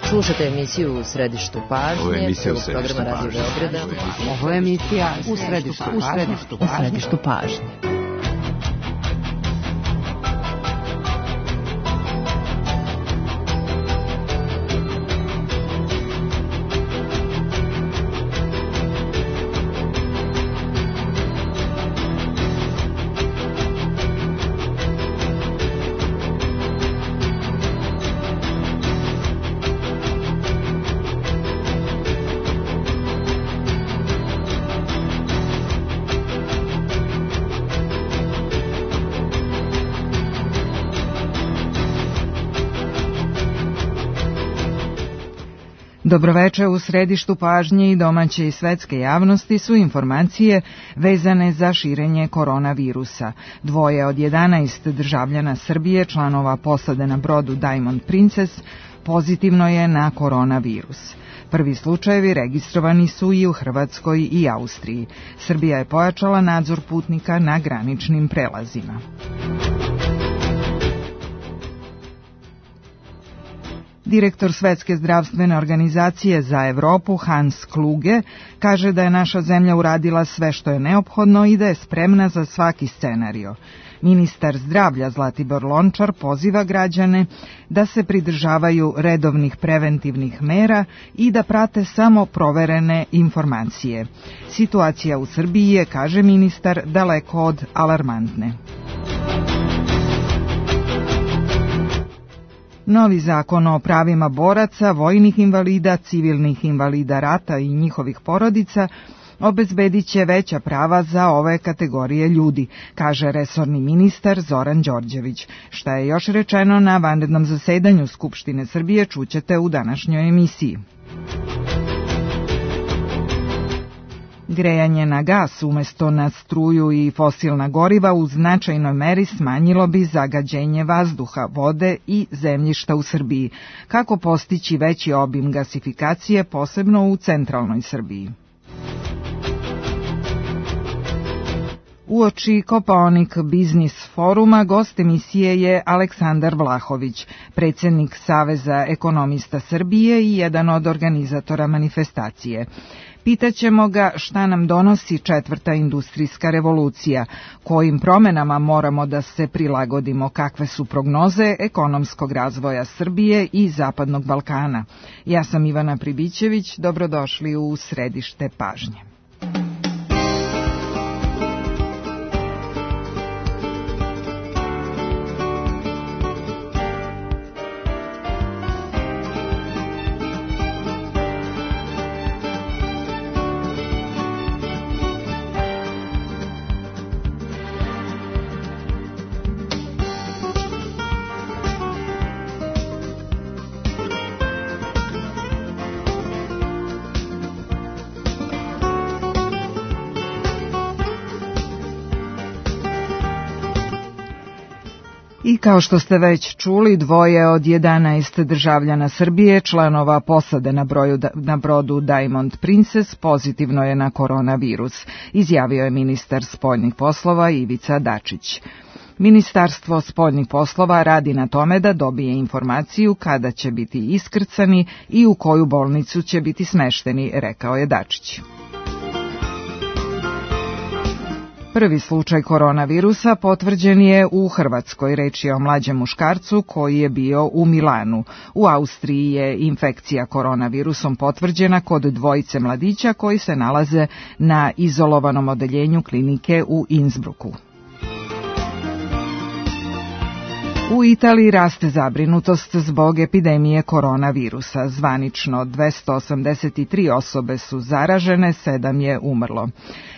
Slušate emisiju U središtu pažnje. Ovo je emisija U središtu pažnje. Ovo je emisija U središtu pažnje. Dobroveče. U središtu pažnje i domaće i svetske javnosti su informacije vezane za širenje koronavirusa. 2 od 11 državljana Srbije, članova posade na brodu Diamond Princess, pozitivno je na koronavirus. Prvi slučajevi registrovani su i u Hrvatskoj i Austriji. Srbija je pojačala nadzor putnika na graničnim prelazima. Direktor Svetske zdravstvene organizacije za Evropu Hans Kluge kaže da je naša zemlja uradila sve što je neophodno i da je spremna za svaki scenario. Ministar zdravlja Zlatibor Lončar poziva građane da se pridržavaju redovnih preventivnih mera i da prate samo proverene informacije. Situacija u Srbiji je, kaže ministar, daleko od alarmantne. Novi zakon o pravima boraca, vojnih invalida, civilnih invalida rata i njihovih porodica obezbedit će veća prava za ove kategorije ljudi, kaže resorni ministar Zoran Đorđević. Šta je još rečeno na vanrednom zasedanju Skupštine Srbije čućete u današnjoj emisiji. Grejanje na gas umesto na struju i fosilna goriva u značajnoj meri smanjilo bi zagađenje vazduha, vode i zemljišta u Srbiji. Kako postići veći obim gasifikacije, posebno u centralnoj Srbiji? Uoči Kopaonik biznis foruma gost emisije je Aleksandar Vlahović, predsjednik Saveza ekonomista Srbije i jedan od organizatora manifestacije. Pitaćemo ga šta nam donosi 4. industrijska revolucija, kojim promjenama moramo da se prilagodimo, kakve su prognoze ekonomskog razvoja Srbije i Zapadnog Balkana. Ja sam Ivana Pribićević, dobrodošli u središte pažnje. I kao što ste već čuli, 2 od 11 državljana Srbije, članova posade na brodu Diamond Princess, pozitivno je na koronavirus, izjavio je ministar spoljnih poslova Ivica Dačić. Ministarstvo spoljnih poslova radi na tome da dobije informaciju kada će biti iskrcani i u koju bolnicu će biti smešteni, rekao je Dačić. Prvi slučaj koronavirusa potvrđen je u Hrvatskoj. Reč je o mlađem muškarcu koji je bio u Milanu. U Austriji je infekcija koronavirusom potvrđena kod 2 mladića koji se nalaze na izolovanom odeljenju klinike u Innsbrucku. U Italiji raste zabrinutost zbog epidemije koronavirusa. Zvanično 283 osobe su zaražene, 7 je umrlo.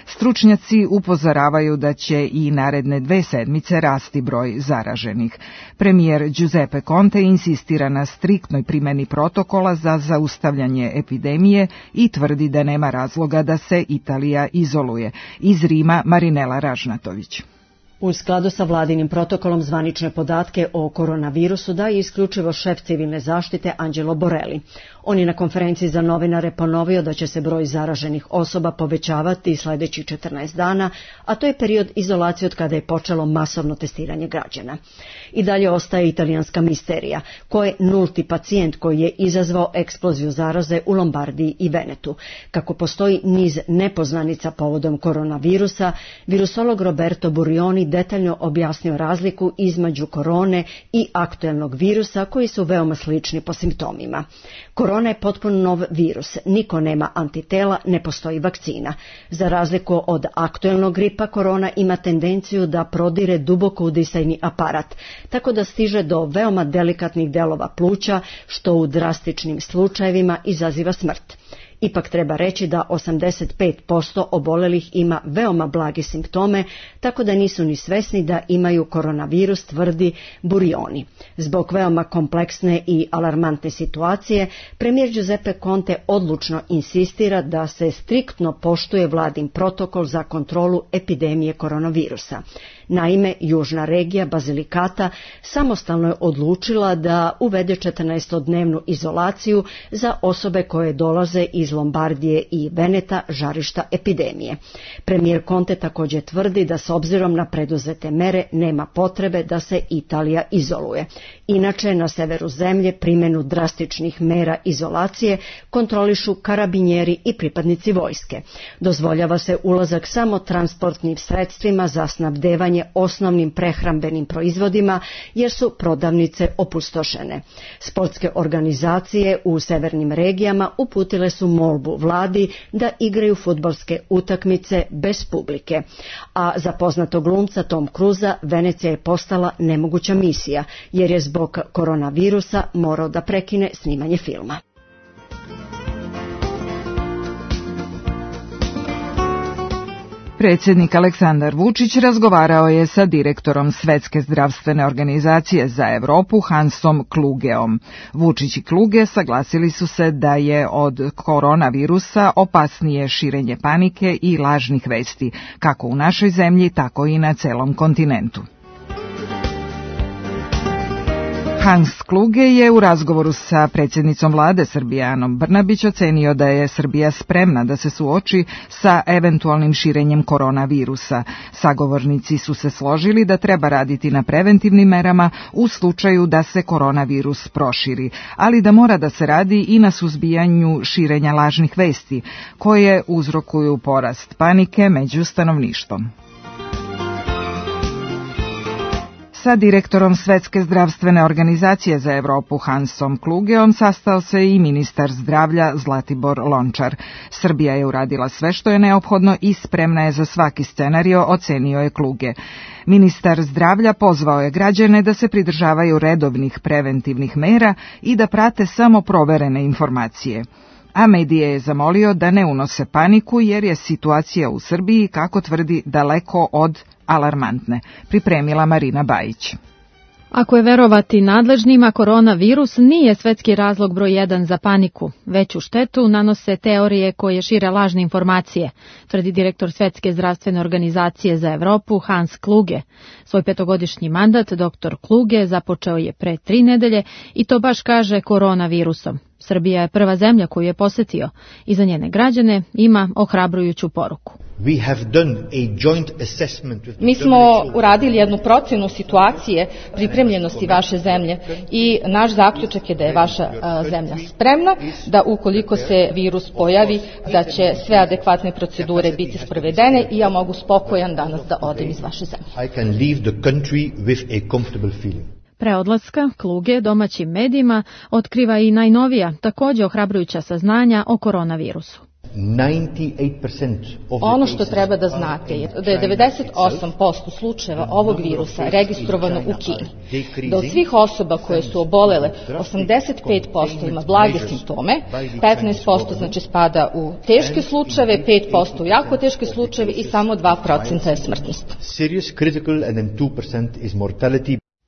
Stručnjaci upozoravaju da će i naredne 2 sedmice rasti broj zaraženih. Premijer Giuseppe Conte insistira na striktnoj primjeni protokola za zaustavljanje epidemije i tvrdi da nema razloga da se Italija izoluje. Iz Rima Marinela Ražnatović. U skladu sa vladinim protokolom zvanične podatke o koronavirusu daje isključivo šef civilne zaštite Angelo Borelli. On je na konferenciji za novinare ponovio da će se broj zaraženih osoba povećavati sljedećih 14 dana, a to je period izolacije od kada je počelo masovno testiranje građana. I dalje ostaje italijanska misterija, ko je nulti pacijent koji je izazvao eksploziju zaraze u Lombardiji i Venetu. Kako postoji niz nepoznanica povodom koronavirusa, virusolog Roberto Burioni detaljno objasnio razliku između korone i aktuelnog virusa koji su veoma slični po simptomima. Korona je potpuno nov virus, niko nema antitela, ne postoji vakcina. Za razliku od aktuelnog gripa, korona ima tendenciju da prodire duboko udisajni aparat, tako da stiže do veoma delikatnih delova pluća, što u drastičnim slučajevima izaziva smrt. Ipak treba reći da 85% obolelih ima veoma blage simptome, tako da nisu ni svesni da imaju koronavirus, tvrdi Burioni. Zbog veoma kompleksne i alarmantne situacije, premijer Giuseppe Conte odlučno insistira da se striktno poštuje vladin protokol za kontrolu epidemije koronavirusa. Naime, južna regija Basilicata samostalno je odlučila da uvede 14-dnevnu izolaciju za osobe koje dolaze iz Lombardije i Veneta, žarišta epidemije. Premijer Conte također tvrdi da s obzirom na preduzete mere nema potrebe da se Italija izoluje. Inače, na severu zemlje primjenu drastičnih mera izolacije kontrolišu karabinjeri i pripadnici vojske. Dozvoljava se ulazak samo transportnim sredstvima za snabdevanje osnovnim prehrambenim proizvodima jer su prodavnice opustošene. Sportske organizacije u severnim regijama uputile su molbu vladi da igraju fudbalske utakmice bez publike. A za poznatog glumca Tom Cruisa Venecija je postala nemoguća misija jer je zbog koronavirusa morao da prekine snimanje filma. Predsjednik Aleksandar Vučić razgovarao je sa direktorom Svetske zdravstvene organizacije za Europu Hansom Klugeom. Vučić i Kluge saglasili su se da je od koronavirusa opasnije širenje panike i lažnih vesti, kako u našoj zemlji, tako i na celom kontinentu. Hans Kluge je u razgovoru sa predsjednicom vlade Srbije Anom Brnabić ocenio da je Srbija spremna da se suoči sa eventualnim širenjem koronavirusa. Sagovornici su se složili da treba raditi na preventivnim merama u slučaju da se koronavirus proširi, ali da mora da se radi i na suzbijanju širenja lažnih vesti, koje uzrokuju porast panike među stanovništvom. Sa direktorom Svetske zdravstvene organizacije za Europu Hansom Klugeom sastao se i ministar zdravlja Zlatibor Lončar. Srbija je uradila sve što je neophodno i spremna je za svaki scenario, ocenio je Kluge. Ministar zdravlja pozvao je građane da se pridržavaju redovnih preventivnih mera i da prate samo proverene informacije. A medije je zamolio da ne unose paniku jer je situacija u Srbiji, kako tvrdi, daleko od alarmantne. Pripremila Marina Bajić. Ako je verovati nadležnima, koronavirus nije svetski razlog broj 1 za paniku. Veću štetu nanose teorije koje šire lažne informacije, tvrdi direktor Svetske zdravstvene organizacije za Europu Hans Kluge. Svoj 5-godišnji mandat dr. Kluge započeo je pre 3 nedelje i to baš kaže koronavirusom. Srbija je prva zemlja koju je posetio i za njene građane ima ohrabrujuću poruku. Mi smo uradili jednu procenu situacije pripremljenosti vaše zemlje i naš zaključak je da je vaša zemlja spremna, da ukoliko se virus pojavi, da će sve adekvatne procedure biti sprovedene i ja mogu spokojan danas da odem iz vaše zemlje. Pre odlaska Kluge domaćim medijima otkriva i najnovija, također ohrabrujuća saznanja o koronavirusu. Ono što treba da znate je da je 98% slučajeva ovog virusa registrovano u Kini. Da od svih osoba koje su obolele, 85% ima blage simptome, 15% znači spada u teške slučajeve, 5% u jako teške slučajeve i samo 2% je smrtnost.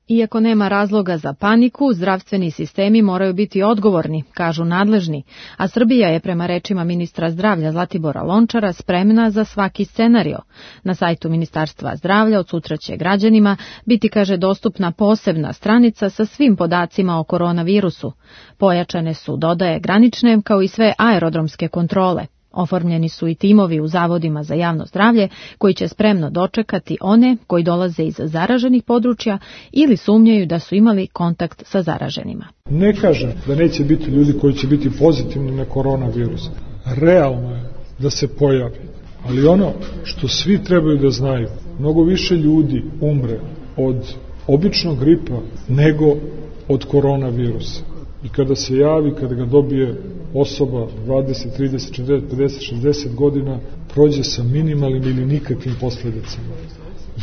Iako nema razloga za paniku, zdravstveni sistemi moraju biti odgovorni, kažu nadležni, a Srbija je prema rečima ministra zdravlja Zlatibora Lončara spremna za svaki scenario. Na sajtu Ministarstva zdravlja od sutra će građanima biti, kaže, dostupna posebna stranica sa svim podacima o koronavirusu. Pojačane su, dodaje, granične kao i sve aerodromske kontrole. Oformljeni su i timovi u zavodima za javno zdravlje koji će spremno dočekati one koji dolaze iz zaraženih područja ili sumnjaju da su imali kontakt sa zaraženima. Ne kažem da neće biti ljudi koji će biti pozitivni na koronavirus. Realno je da se pojavi. Ali ono što svi trebaju da znaju, mnogo više ljudi umre od običnog gripa nego od koronavirusa. I kada se javi, kada ga dobije osoba 20, 30, 40, 50, 60 godina, prođe sa minimalnim ili nikakvim posljedicama.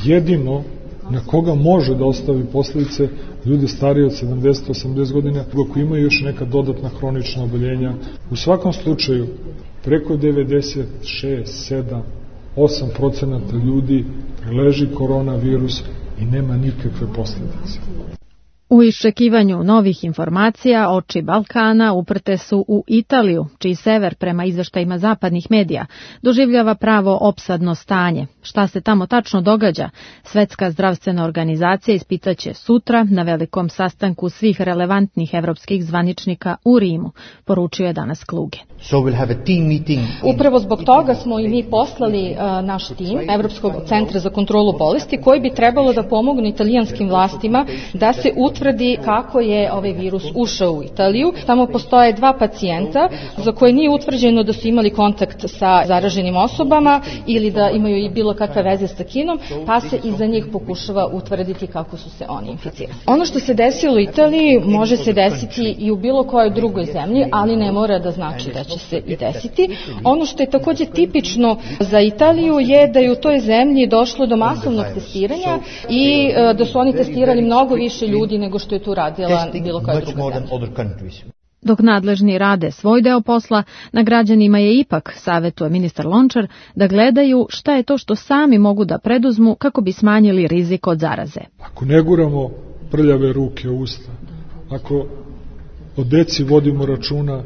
Jedino na koga može da ostavi posljedice ljude starije od 70, 80 godina, koji imaju još neka dodatna hronična oboljenja. U svakom slučaju, preko 96, 7, 8% ljudi preleži koronavirus i nema nikakve posljedice. U iščekivanju novih informacija oči Balkana uprte su u Italiju, čiji sever, prema izveštajima zapadnih medija, doživljava pravo opsadno stanje. Šta se tamo tačno događa? Svetska zdravstvena organizacija ispitaće sutra na velikom sastanku svih relevantnih evropskih zvaničnika u Rimu, poručio je danas Kluge. Upravo zbog toga smo i mi poslali naš tim Evropskog centra za kontrolu bolesti, koji bi trebalo da pomogne italijanskim vlastima da se utvrdi kako je ovaj virus ušao u Italiju. Tamo postoje 2 pacijenta za koje nije utvrđeno da su imali kontakt sa zaraženim osobama ili da imaju i bilo kakve veze sa Kinom, pa se i za njih pokušava utvrditi kako su se oni inficirali. Ono što se desilo u Italiji može se desiti i u bilo kojoj drugoj zemlji, ali ne mora da znači da će se i desiti. Ono što je također tipično za Italiju je da je u toj zemlji došlo do masovnog testiranja i da su oni testirali mnogo više ljudi nego što je tu radila bilo koja druga zemlja. Dok nadležni rade svoj deo posla, na građanima je ipak, savjetuje ministar Lončar, da gledaju šta je to što sami mogu da preduzmu kako bi smanjili rizik od zaraze. Ako ne guramo prljave ruke u usta, ako o deci vodimo računa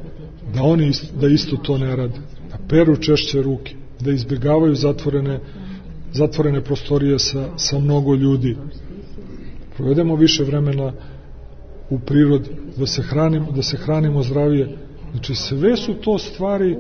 da oni da isto to ne rade, da peru češće ruke, da izbjegavaju zatvorene prostorije sa mnogo ljudi, provedemo više vremena u prirodi, da se hranimo zdravije. Znači sve su to stvari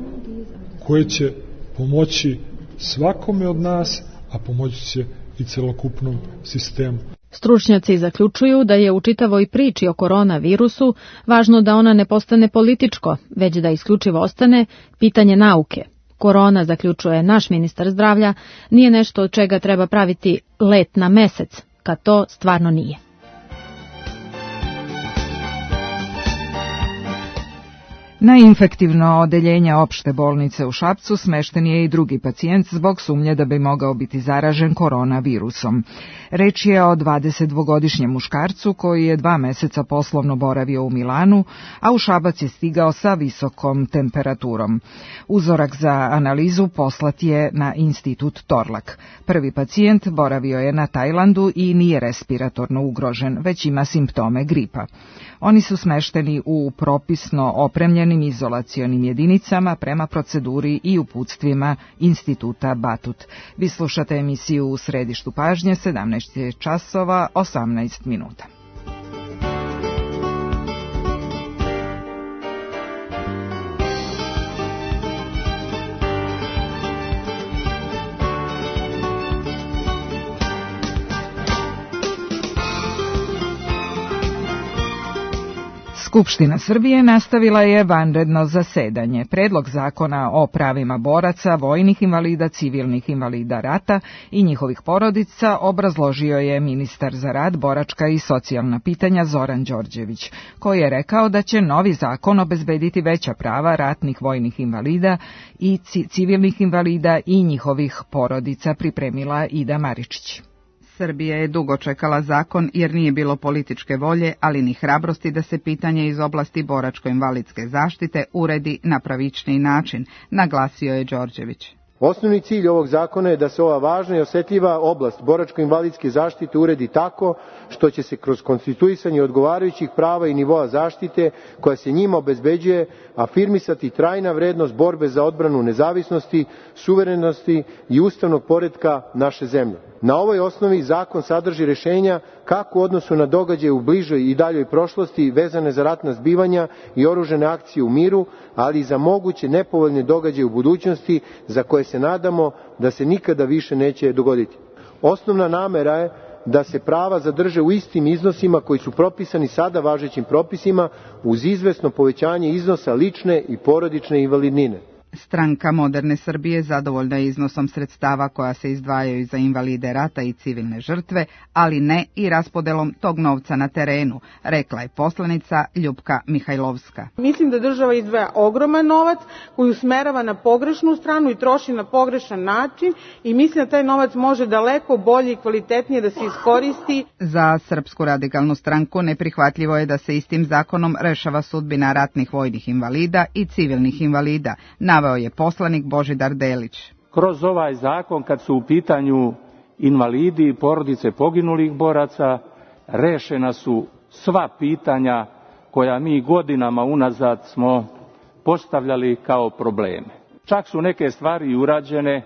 koje će pomoći svakome od nas, a pomoći će i celokupnom sistemu. Stručnjaci zaključuju da je u čitavoj priči o koronavirusu važno da ona ne postane političko, već da isključivo ostane pitanje nauke. Korona, zaključuje naš ministar zdravlja, nije nešto od čega treba praviti let na mesec, kad to stvarno nije. Na infektivno odeljenje opšte bolnice u Šapcu smešten je i drugi pacijent zbog sumnje da bi mogao biti zaražen koronavirusom. Reč je o 22-godišnjem muškarcu koji je 2 meseca poslovno boravio u Milanu, a u Šabac je stigao sa visokom temperaturom. Uzorak za analizu poslat je na institut Torlak. Prvi pacijent boravio je na Tajlandu i nije respiratorno ugrožen, već ima simptome gripa. Oni su smešteni u propisno opremljenim izolacionim jedinicama prema proceduri i uputstvima Instituta Batut. Vi slušate emisiju U središtu pažnje, 17 časova 18 minuta. Skupština Srbije nastavila je vanredno zasedanje. Predlog zakona o pravima boraca, vojnih invalida, civilnih invalida rata i njihovih porodica obrazložio je ministar za rad, boračka i socijalna pitanja Zoran Đorđević, koji je rekao da će novi zakon obezbediti veća prava ratnih vojnih invalida i civilnih invalida i njihovih porodica, pripremila Ida Maričić. Srbija je dugo čekala zakon jer nije bilo političke volje, ali ni hrabrosti da se pitanje iz oblasti boračko-invalidske zaštite uredi na pravičniji način, naglasio je Đorđević. Osnovni cilj ovog zakona je da se ova važna i osetljiva oblast boračko-invalidske zaštite uredi tako što će se kroz konstituisanje odgovarajućih prava i nivoa zaštite koja se njima obezbeđuje afirmisati trajna vrednost borbe za odbranu nezavisnosti, suverenosti i ustavnog poretka naše zemlje. Na ovoj osnovi zakon sadrži rešenja kako u odnosu na događaje u bližoj i daljoj prošlosti vezane za ratna zbivanja i oružane akcije u miru, ali i za moguće nepovoljne događaje u budućnosti za koje se nadamo da se nikada više neće dogoditi. Osnovna namera je da se prava zadrže u istim iznosima koji su propisani sada važećim propisima uz izvesno povećanje iznosa lične i porodične invalidnine. Stranka Moderne Srbije zadovoljna je iznosom sredstava koja se izdvajaju za invalide rata i civilne žrtve, ali ne i raspodelom tog novca na terenu, rekla je poslanica Ljupka Mihajlovska. Mislim da država izdvaja ogroman novac koji usmerava na pogrešnu stranu i troši na pogrešan način i mislim da taj novac može daleko bolje i kvalitetnije da se iskoristi. Za Srpsku radikalnu stranku neprihvatljivo je da se istim zakonom rešava sudbina ratnih vojnih invalida i civilnih invalida, naveo je poslanik Božidar Delić. Kroz ovaj zakon, kad su u pitanju invalidi i porodice poginulih boraca, rešena su sva pitanja koja mi godinama unazad smo postavljali kao probleme. Čak su neke stvari urađene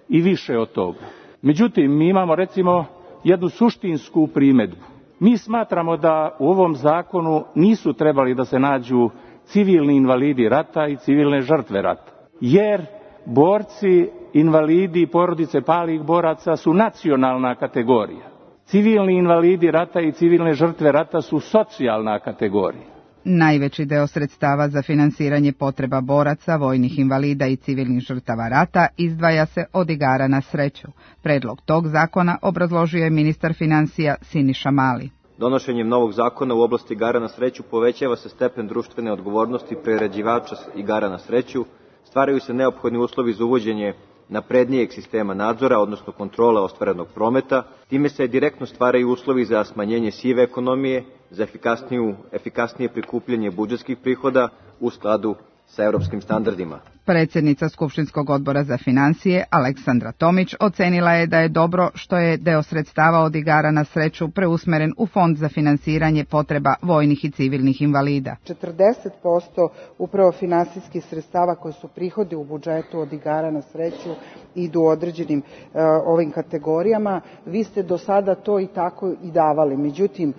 i više od toga. Međutim, mi imamo recimo jednu suštinsku primedbu. Mi smatramo da u ovom zakonu nisu trebali da se nađu civilni invalidi rata i civilne žrtve rata, jer borci, invalidi i porodice palih boraca su nacionalna kategorija. Civilni invalidi rata i civilne žrtve rata su socijalna kategorija. Najveći deo sredstava za finansiranje potreba boraca, vojnih invalida i civilnih žrtava rata izdvaja se od igara na sreću. Predlog tog zakona obrazložio je ministar finansija Siniša Mali. Donošenjem novog zakona u oblasti igara na sreću povećava se stepen društvene odgovornosti priređivača igara na sreću, stvaraju se neophodni uslovi za uvođenje naprednijeg sistema nadzora, odnosno kontrole ostvarenog prometa, time se direktno stvaraju uslovi za smanjenje sive ekonomije, za efikasnije prikupljanje budžetskih prihoda u skladu sa evropskim standardima. Predsjednica Skupštinskog odbora za finansije Aleksandra Tomić ocenila je da je dobro što je deo sredstava od igara na sreću preusmeren u Fond za finansiranje potreba vojnih i civilnih invalida. 40% upravo finansijskih sredstava koji su prihodi u budžetu od igara na sreću idu u određenim ovim kategorijama. Vi ste do sada to i tako i davali. Međutim,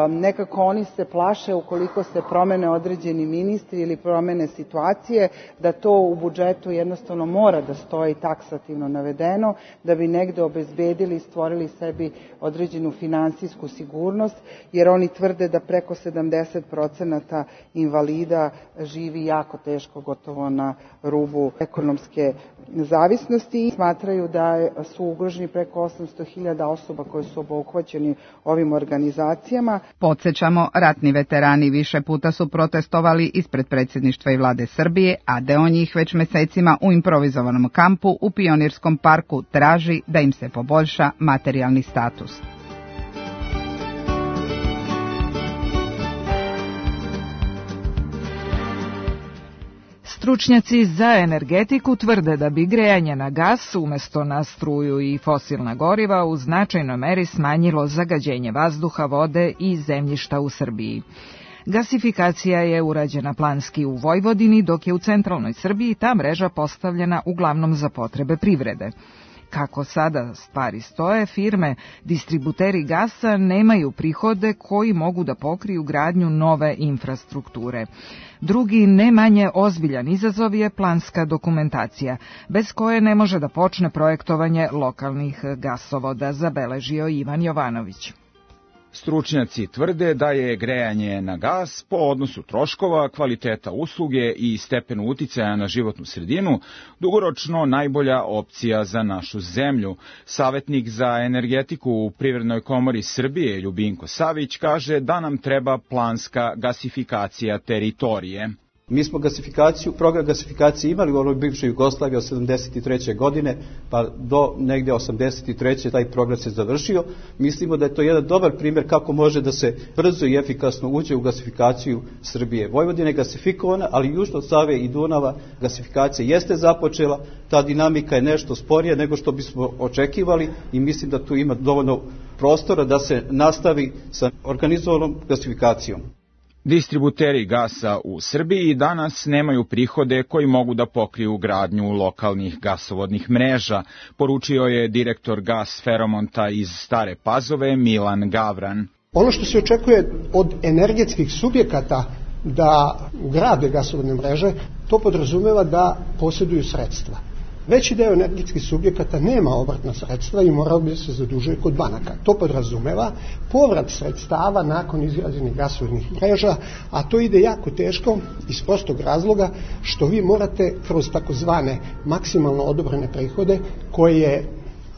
nekako oni se plaše ukoliko se promene određeni ministri ili promene situacije, da to u budžetu jednostavno mora da stoji taksativno navedeno, da bi negde obezbedili i stvorili sebi određenu finansijsku sigurnost, jer oni tvrde da preko 70% invalida živi jako teško, gotovo na rubu ekonomske zavisnosti i smatraju da su ugroženi preko 800.000 osoba koje su obuhvaćeni ovim organizacijama. Podsećamo, ratni veterani više puta su protestovali ispred predsjedništva i vlade Srbije, a deo njih već mesecima u improvizovanom kampu u Pionirskom parku traži da im se poboljša materijalni status. Stručnjaci za energetiku tvrde da bi grejanje na gas umjesto na struju i fosilna goriva u značajnoj meri smanjilo zagađenje vazduha, vode i zemljišta u Srbiji. Gasifikacija je urađena planski u Vojvodini, dok je u centralnoj Srbiji ta mreža postavljena uglavnom za potrebe privrede. Kako sada stvari stoje, firme, distributeri gasa nemaju prihode koji mogu da pokriju gradnju nove infrastrukture. Drugi, ne manje ozbiljan izazov je planska dokumentacija, bez koje ne može da počne projektovanje lokalnih gasovoda, zabeležio Ivan Jovanović. Stručnjaci tvrde da je grejanje na gas po odnosu troškova, kvaliteta usluge i stepenu uticaja na životnu sredinu dugoročno najbolja opcija za našu zemlju. Savetnik za energetiku u Privrednoj komori Srbije Ljubinko Savić kaže da nam treba planska gasifikacija teritorije. Mi smo program gasifikacije imali u onoj bivšoj Jugoslaviji od 73. godine, pa do negde 83. taj program se završio. Mislimo da je to jedan dobar primjer kako može da se brzo i efikasno uđe u gasifikaciju Srbije. Vojvodina je gasifikovana, ali južno od Save i Dunava gasifikacija jeste započela, ta dinamika je nešto sporija nego što bismo očekivali i mislim da tu ima dovoljno prostora da se nastavi sa organizovanom gasifikacijom. Distributeri gasa u Srbiji danas nemaju prihode koji mogu da pokriju gradnju lokalnih gasovodnih mreža, poručio je direktor Gas Feromonta iz Stare Pazove Milan Gavran. Ono što se očekuje od energetskih subjekata da grade gasovodne mreže, to podrazumeva da posjeduju sredstva. Veći deo energetskih subjekata nema obrtna sredstva i morao bi se zadužuje kod banaka. To podrazumeva povrat sredstava nakon izgrađenih gasovodnih mreža, a to ide jako teško iz prostog razloga što vi morate kroz takozvane maksimalno odobrene prihode koje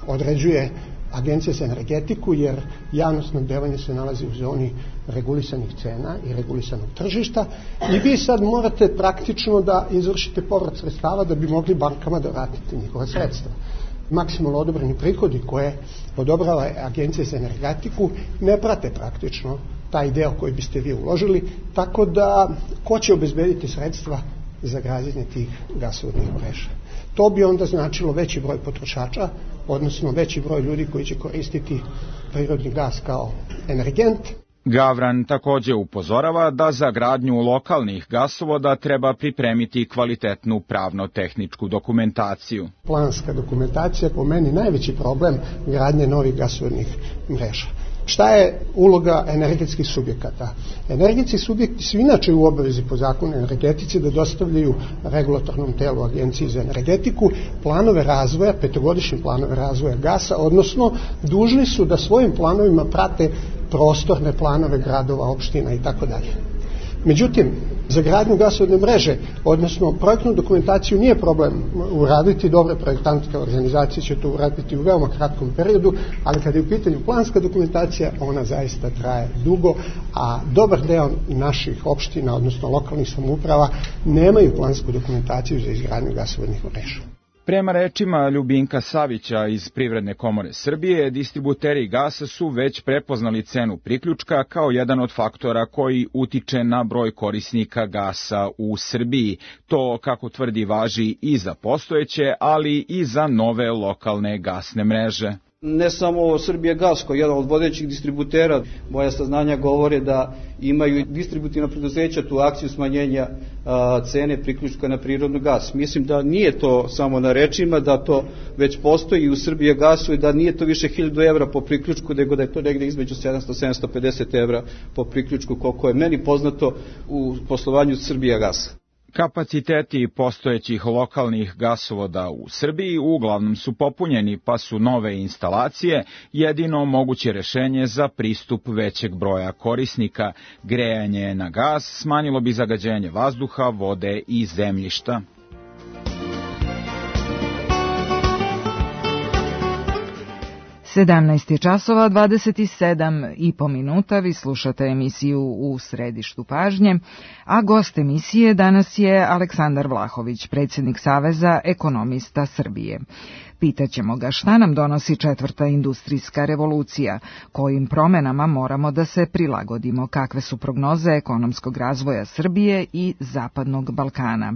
određuje Agencija za energetiku, jer javno snabdevanje se nalazi u zoni regulisanih cena i regulisanog tržišta i vi sad morate praktično da izvršite povrat sredstava da bi mogli bankama da vratite njihova sredstva. Maksimalno odobreni prihodi koje odobrava Agencija za energetiku ne prate praktično taj deo koji biste vi uložili, tako da ko će obezbediti sredstva za građenje tih gasovodnih mreža? To bi onda značilo veći broj potrošača, odnosno veći broj ljudi koji će koristiti prirodni gas kao energent. Gavran također upozorava da za gradnju lokalnih gasovoda treba pripremiti kvalitetnu pravno-tehničku dokumentaciju. Planska dokumentacija je po meni najveći problem gradnje novih gasovodnih mreža. Šta je uloga energetskih subjekata? Energetski subjekti su inače u obavezi po zakonu energetici da dostavljaju regulatornom telu Agenciji za energetiku planove razvoja, petogodišnje planove razvoja gasa, odnosno dužni su da svojim planovima prate prostorne planove gradova, opština i tako dalje. Međutim, za gradnju gasovodne mreže, odnosno projektnu dokumentaciju nije problem uraditi, dobre projektantske organizacije će to uraditi u veoma kratkom periodu, ali kada je u pitanju planska dokumentacija, ona zaista traje dugo, a dobar deo naših opština, odnosno lokalnih samouprava, nemaju plansku dokumentaciju za izgradnju gasovodnih mreža. Prema rečima Ljubinka Savića iz Privredne komore Srbije, distributeri gasa su već prepoznali cenu priključka kao jedan od faktora koji utiče na broj korisnika gasa u Srbiji. To, kako tvrdi, važi i za postojeće, ali i za nove lokalne gasne mreže. Ne samo Srbijagas, koji je jedan od vodećih distributera, moja saznanja govore da imaju distributivna preduzeća tu akciju smanjenja cene priključka na prirodni gas. Mislim da nije to samo na rečima, da to već postoji u Srbijagasu i da nije to više 1000 evra po priključku, nego da je to negde između 700-750 evra po priključku, koliko je meni poznato u poslovanju Srbijagasa. Kapaciteti postojećih lokalnih gasovoda u Srbiji uglavnom su popunjeni, pa su nove instalacije jedino moguće rešenje za pristup većeg broja korisnika. Grejanje na gas smanjilo bi zagađenje vazduha, vode i zemljišta. Sedamnaest je časova, 27,5 minuta, vi slušate emisiju U središtu pažnje, a gost emisije danas je Aleksandar Vlahović, predsjednik Saveza ekonomista Srbije. Pitaćemo ga šta nam donosi četvrta industrijska revolucija, kojim promenama moramo da se prilagodimo, kakve su prognoze ekonomskog razvoja Srbije i Zapadnog Balkana.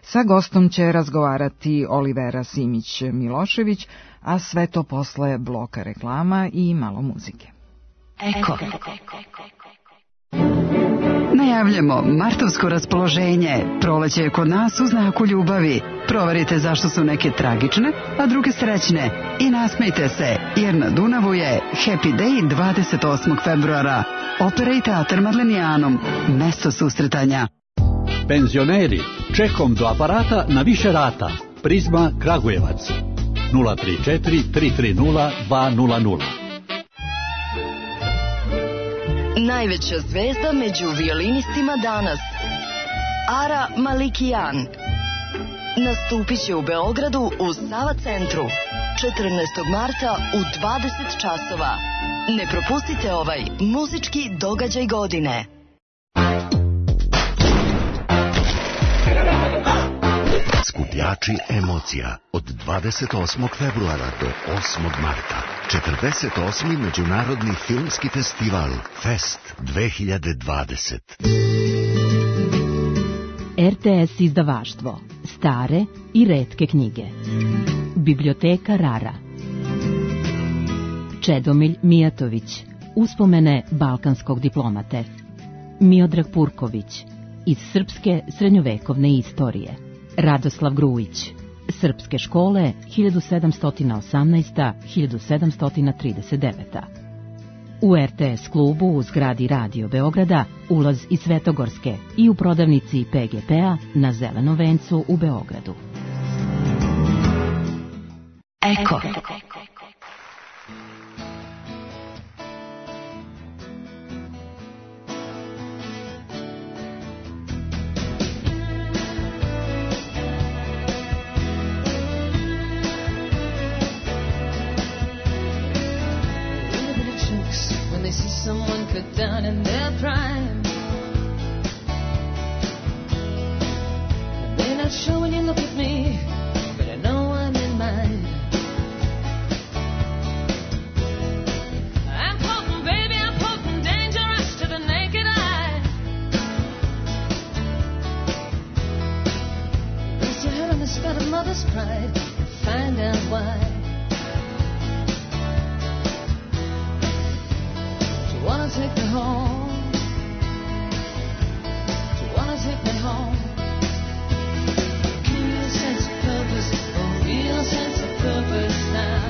Sa gostom će razgovarati Olivera Simić-Milošević, a sve to posle bloka reklama i malo muzike. Eko. Najavljamo martovsko raspoloženje. Proleće je kod nas u znaku ljubavi. Proverite zašto su neke tragične, a druge srećne. I nasmejte se, jer na Dunavu je Happy Day 28. februara. Opera i teatr Madlenijanom. Mesto susretanja. Penzioneri, čekom do aparata na više rata. Prizma Kragujevac. 034 330 200. Najveća zvezda među violinistima danas, Ara Malikijan, nastupit će u Beogradu u Sava centru 14. marta u 20 časova. Ne propustite ovaj muzički događaj godine. Skupljači emocija od 28. februara do 8. marta. 48. Međunarodni filmski festival Fest 2020. RTS izdavaštvo. Stare i retke knjige. Biblioteka Rara. Čedomilj Mijatović. Uspomene balkanskog diplomate. Miodrag Purković. Iz srpske srednjovekovne istorije. Radoslav Grujić. Srpske škole 1718-1739. U RTS klubu u zgradi Radio Beograda ulaz iz Svetogorske i u prodavnici PGP-a na Zelenom vencu u Beogradu. Eko. Someone cut down in their prime. They're not sure when you look at me, but I know I'm in mine. I'm potent, baby, I'm potent, dangerous to the naked eye. Rest your head on the spot of mother's pride, find out why. Wanna take me home? Do you wanna take me home? Give me a sense of purpose, a real sense of purpose now.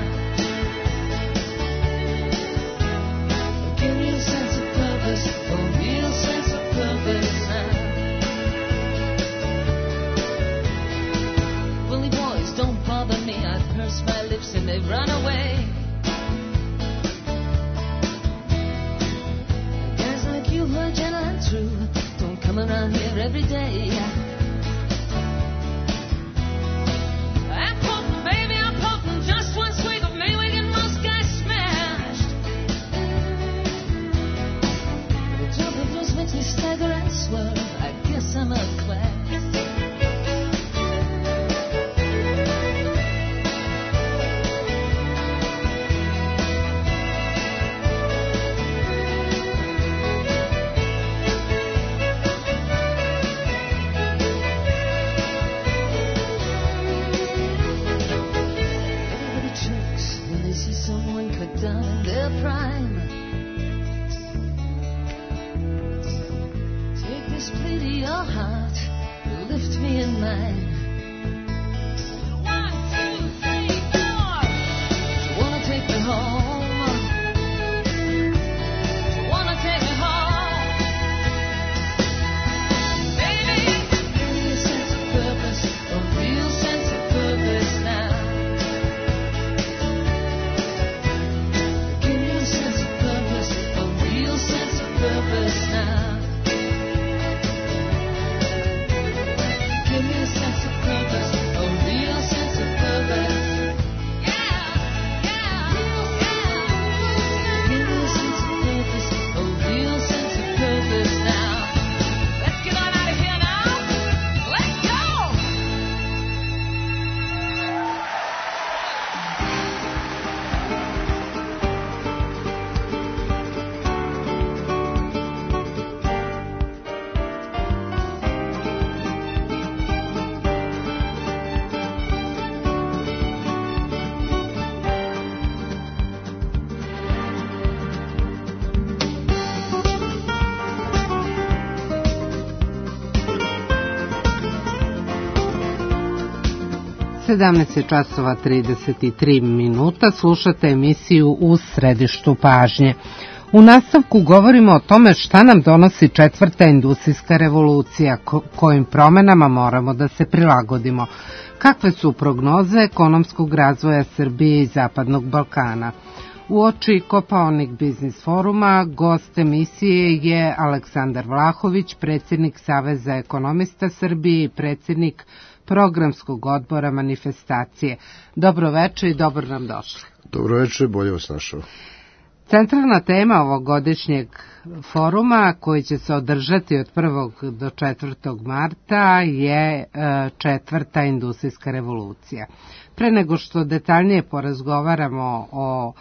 Give me a sense of purpose, a real sense of purpose now. Bully boys don't bother me, I purse my lips and they run away. You were gentle and true, don't come around here every day. I'm potent, baby, I'm potent, just one swig of Mayweather and most guys smashed. The drop of blues makes me stagger and swerve, I guess I'm a class. časova 33 minuta, slušate emisiju U središtu pažnje. U nastavku govorimo o tome šta nam donosi četvrta industrijska revolucija, kojim promenama moramo da se prilagodimo. Kakve su prognoze ekonomskog razvoja Srbije i Zapadnog Balkana? Uoči Kopaonik biznis foruma gost emisije je Aleksandar Vlahović, predsjednik Saveza ekonomista Srbije i predsjednik programskog odbora manifestacije. Dobro večer i dobro nam došli. Dobro večer, bolje vas našao. Centralna tema ovogodišnjeg foruma koji će se održati od 1. do 4. marta je četvrta industrijska revolucija. Pre nego što detaljnije porazgovaramo o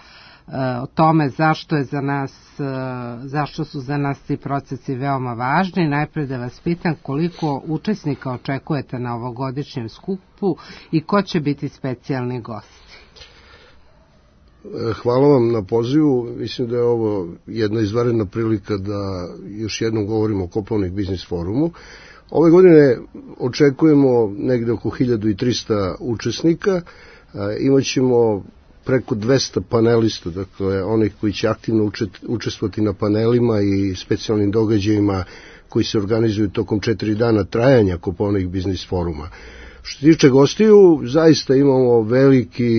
tome zašto su za nas ti procesi veoma važni, najpre da vas pitam koliko učesnika očekujete na ovogodišnjem skupu i ko će biti specijalni gosti. Hvala vam na pozivu. Mislim da je ovo jedna izvanredna prilika da još jednom govorimo o Kopaonik biznis forumu. Ove godine očekujemo negde oko 1300 učesnika. Imaćemo preko 200 panelista, dakle onih koji će aktivno učestvovati na panelima i specijalnim događajima koji se organizuju tokom 4 dana trajanja Kopaonik biznis foruma. Što se tiče gostiju, zaista imamo veliki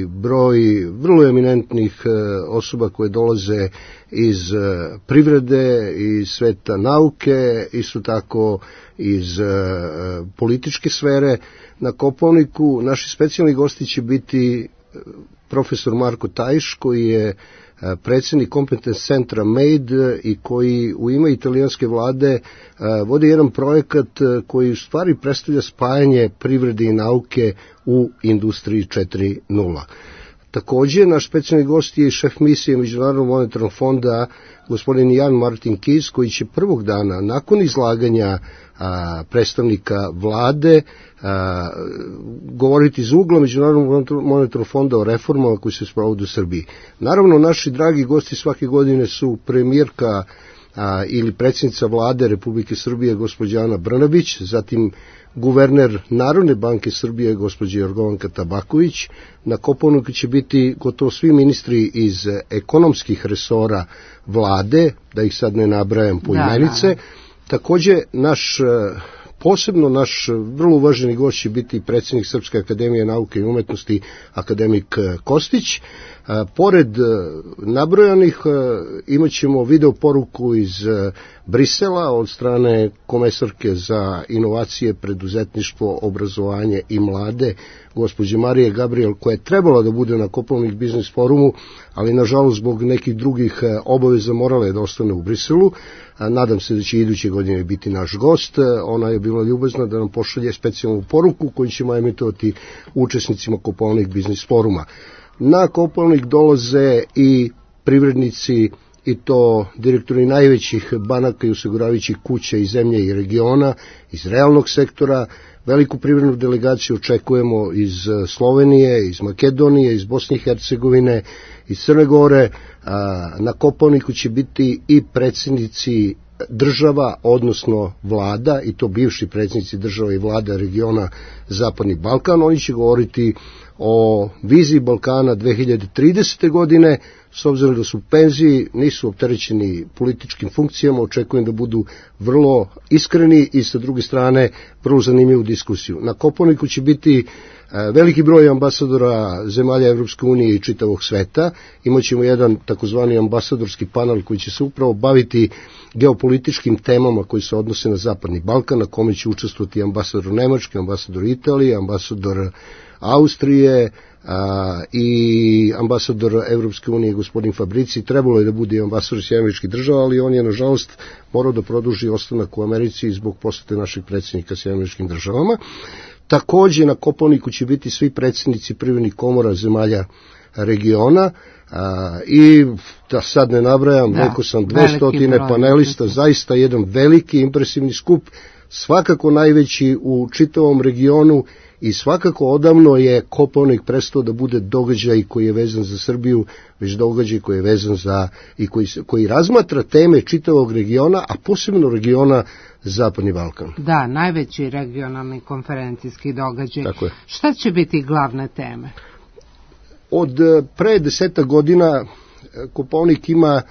broj vrlo eminentnih osoba koje dolaze iz privrede, iz sveta nauke, isto tako iz političke sfere. Na Kopaoniku naši specijalni gosti će biti profesor Marko Tajš, koji je predsjednik Competence centra MADE i koji u ime italijanske vlade vodi jedan projekat koji u stvari predstavlja spajanje privrede i nauke u industriji 4.0. Takođe, naš specijalni gost je i šef misije Međunarodnog monetarnog fonda, gospodin Jan Martin Kis, koji će prvog dana, nakon izlaganja predstavnika vlade, govoriti iz ugla Međunarodnog monetarnog fonda o reformama koji se sprovode u Srbiji. Naravno, naši dragi gosti svake godine su premijerka ili predsjednica vlade Republike Srbije, gospođa Ana Brnabić, zatim guverner Narodne banke Srbije, gospođa Jorgovanka Tabaković. Na Kopaoniku će biti gotovo svi ministri iz ekonomskih resora vlade, da ih sad ne nabrajam po imenice. Takođe, posebno naš vrlo uvaženi gost će biti predsjednik Srpske akademije nauke i umetnosti, akademik Kostić. Pored nabrojanih imat ćemo video poruku iz Brisela od strane komesarke za inovacije, preduzetništvo, obrazovanje i mlade, gospođe Marije Gabriel, koja je trebala da bude na Kopaonik biznis forumu, ali nažalost zbog nekih drugih obaveza morala je da ostane u Briselu. Nadam se da će iduće godine biti naš gost. Ona je bila ljubazna da nam pošalje specijalnu poruku koju ćemo emitovati učesnicima Kopaonik biznis foruma. Na Kopaonik dolaze i privrednici, i to direktori najvećih banaka i osiguravajućih kuća iz zemlje i regiona, iz realnog sektora. Veliku privrednu delegaciju očekujemo iz Slovenije, iz Makedonije, iz Bosne i Hercegovine, iz Crne Gore. Na Kopaoniku će biti i predsjednici država, odnosno vlada, i to bivši predsjednici država i vlada regiona Zapadni Balkan. Oni će govoriti o viziji Balkana 2030. godine. S obzirom da su u penziji, nisu opterećeni političkim funkcijama, očekujem da budu vrlo iskreni i sa druge strane vrlo zanimljivu diskusiju. Na Kopaoniku će biti veliki broj ambasadora zemalja Evropske unije i čitavog sveta. Imaćemo jedan takozvani ambasadorski panel koji će se upravo baviti geopolitičkim temama koji se odnose na Zapadni Balkan, na kome će učestvovati ambasador Nemačke, ambasador Italije, ambasador Austrije i ambasador Evropske unije gospodin Fabrici. Trebalo je da bude ambasador Sjedinjenih Američkih Država, ali on je nažalost morao da produži ostanak u Americi zbog posete naših predsjednika Sjedinjenim Američkim Državama. Takođe na Kopaoniku će biti svi predsjednici privrednih komora zemalja regiona i da sad ne nabrajam, rekao sam 200 panelista, zaista jedan veliki impresivni skup, svakako najveći u čitavom regionu i svakako odavno je Kopaonik prestao da bude događaj koji je vezan za Srbiju, već događaj koji je vezan za i koji razmatra teme čitavog regiona, a posebno regiona Zapadni Balkan. Da, najveći regionalni konferencijski događaj. Šta će biti glavne teme? Od pre 10 godina Kopaonik ima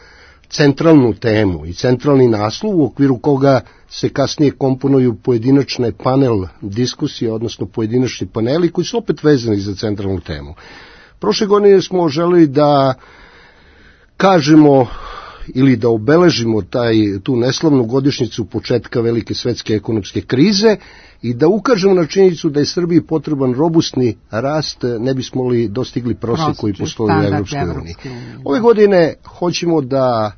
centralnu temu i centralni naslov u okviru koga se kasnije komponuju pojedinačne panel diskusije, odnosno pojedinačni paneli koji su opet vezani za centralnu temu. Prošle godine smo želeli da kažemo ili da obeležimo tu neslavnu godišnjicu početka velike svetske ekonomske krize i da ukažemo na činjenicu da je Srbiji potreban robustni rast, ne bismo li dostigli prosjek koji postoji u Evropskoj uniji. Ove godine hoćemo da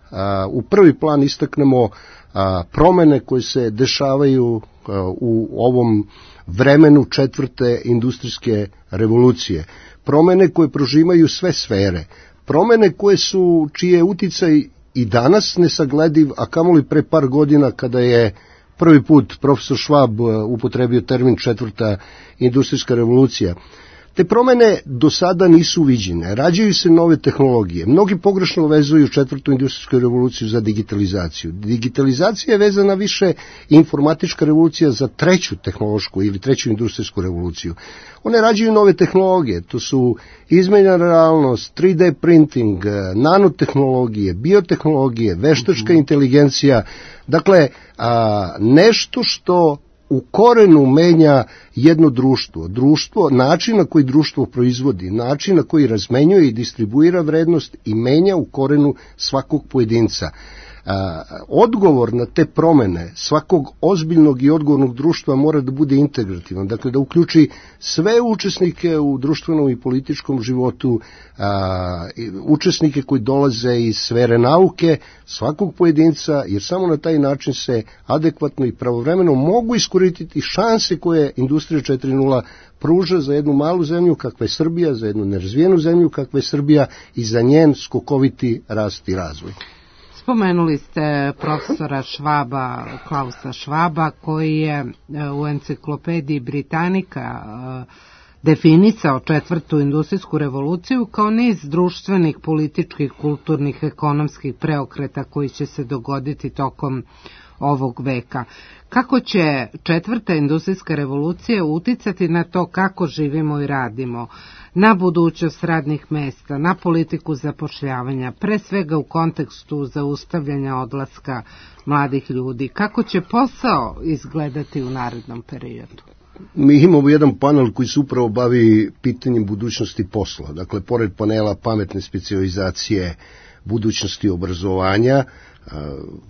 u prvi plan istaknemo promene koje se dešavaju u ovom vremenu četvrte industrijske revolucije. Promene koje prožimaju sve sfere. Promene čiji je uticaj i danas nesaglediv, a kamoli pre par godina kada je prvi put profesor Schwab upotrebio termin četvrta industrijska revolucija. Te promene do sada nisu viđene, rađaju se nove tehnologije. Mnogi pogrešno vezuju četvrtu industrijsku revoluciju za digitalizaciju. Digitalizacija je vezana više informatička revolucija za treću tehnološku ili treću industrijsku revoluciju. One rađaju nove tehnologije, to su izmenjena realnost, 3D printing, nanotehnologije, biotehnologije, veštačka inteligencija, dakle nešto što u korenu menja jedno društvo, način na koji društvo proizvodi, način na koji razmenjuje i distribuira vrednost i menja u korenu svakog pojedinca. Odgovor na te promene svakog ozbiljnog i odgovornog društva mora da bude integrativan, dakle da uključi sve učesnike u društvenom i političkom životu, učesnike koji dolaze iz sfere nauke, svakog pojedinca, jer samo na taj način se adekvatno i pravovremeno mogu iskoristiti šanse koje Industrija 4.0 pruža za jednu malu zemlju kakva je Srbija, za jednu nerazvijenu zemlju kakva je Srbija i za njen skokoviti rast i razvoj. Spomenuli ste profesora Schwaba, Klausa Schwaba, koji je u enciklopediji Britanika definisao četvrtu industrijsku revoluciju kao niz društvenih, političkih, kulturnih, ekonomskih preokreta koji će se dogoditi tokom ovog veka. Kako će četvrta industrijska revolucija uticati na to kako živimo i radimo, na budućnost radnih mesta, na politiku zapošljavanja, pre svega u kontekstu zaustavljanja odlaska mladih ljudi? Kako će posao izgledati u narednom periodu? Mi imamo jedan panel koji se upravo bavi pitanjem budućnosti posla. Dakle, pored panela pametne specijalizacije, budućnosti obrazovanja,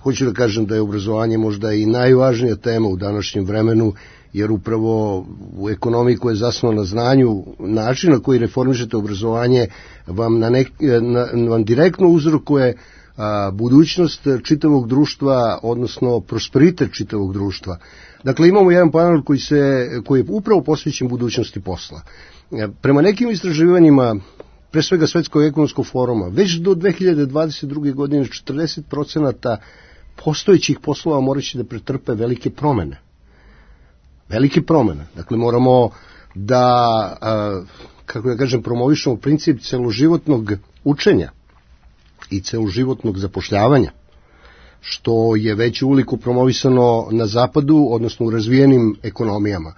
hoću da kažem da je obrazovanje možda i najvažnija tema u današnjem vremenu, jer upravo u ekonomiji koja je zasnovana na znanju, način na koji reformišete obrazovanje vam direktno uzrokuje budućnost čitavog društva, odnosno prosperitet čitavog društva. Dakle, imamo jedan panel koji je upravo posvećen budućnosti posla. Prema nekim istraživanjima, pre svega Svetskog ekonomskog foruma, već do 2022. godine 40% postojećih poslova moraće da pretrpe velike promene. Velike promene. Dakle, moramo da, kako da kažem, promovišemo princip celoživotnog učenja i celoživotnog zapošljavanja, što je već uveliko promovisano na zapadu, odnosno u razvijenim ekonomijama.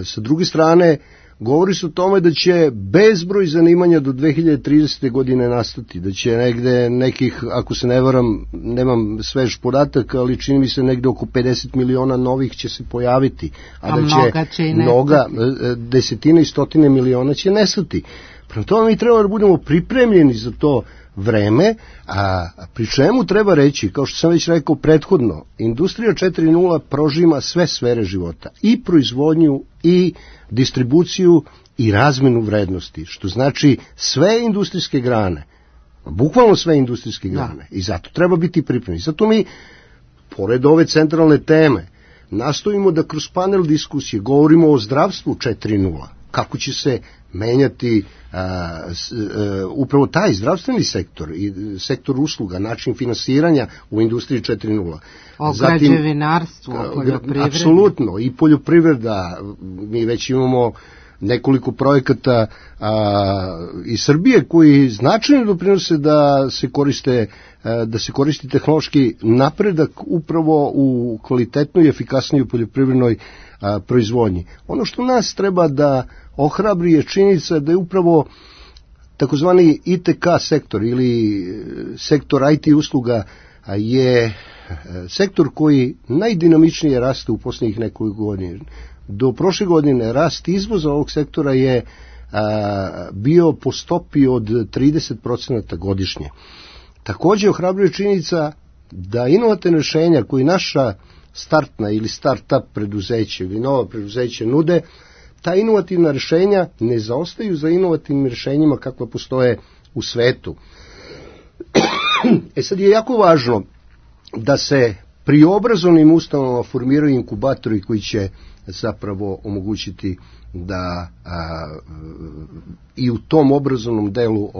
Sa druge strane, govori se o tome da će bezbroj zanimanja do 2030. godine nastati, da će negde nekih, ako se ne varam, nemam svež podatak, ali čini mi se negde oko 50 miliona novih će se pojaviti, a da će mnoga, desetine i stotine miliona će nestati. Prema tome mi treba da budemo pripremljeni za to vreme, a pri čemu treba reći, kao što sam već rekao prethodno, Industrija 4.0 prožima sve sfere života, i proizvodnju, i distribuciju, i razmenu vrednosti, što znači sve industrijske grane, bukvalno sve industrijske grane, i zato treba biti pripremljeni. Zato mi, pored ove centralne teme, nastojimo da kroz panel diskusije govorimo o zdravstvu 4.0, kako će se menjati upravo taj zdravstveni sektor i sektor usluga, način finansiranja u Industriji 4.0. O građevinarstvu, o poljoprivredi. Apsolutno, i poljoprivreda. Mi već imamo nekoliko projekata iz Srbije koji značajno doprinose da se koristi tehnološki napredak upravo u kvalitetnoj i efikasnoj poljoprivrednoj proizvodnji. Ono što nas treba da ohrabri je činjenica da je upravo takozvani ITK sektor ili sektor IT usluga je sektor koji najdinamičnije raste u posljednjih nekoliko godina. Do prošle godine rast izvoza ovog sektora je bio po stopi od 30% godišnje. Takođe ohrabruje činjenica da inovativne rešenja koji naša startna ili start-up preduzeće ili nova preduzeća nude, ta inovativna rešenja ne zaostaju za inovativnim rešenjima kakva postoje u svetu. Sad je jako važno da se pri obrazovnim ustanovama formiraju inkubatori koji će zapravo omogućiti da i u tom obrazovnom delu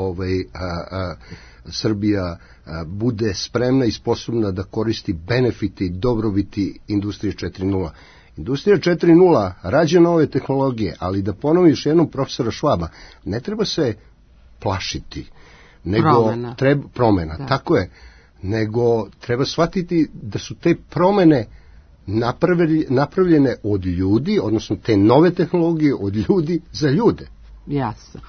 Srbija bude spremna i sposobna da koristi benefiti, dobrobiti Industrije 4.0. Industrija 4.0 rađa nove tehnologije, ali da ponovim još jednom profesora Švaba, ne treba se plašiti, nego promena, da. Tako je, nego treba shvatiti da su te promene napravljene od ljudi, odnosno te nove tehnologije od ljudi za ljude. Jasno.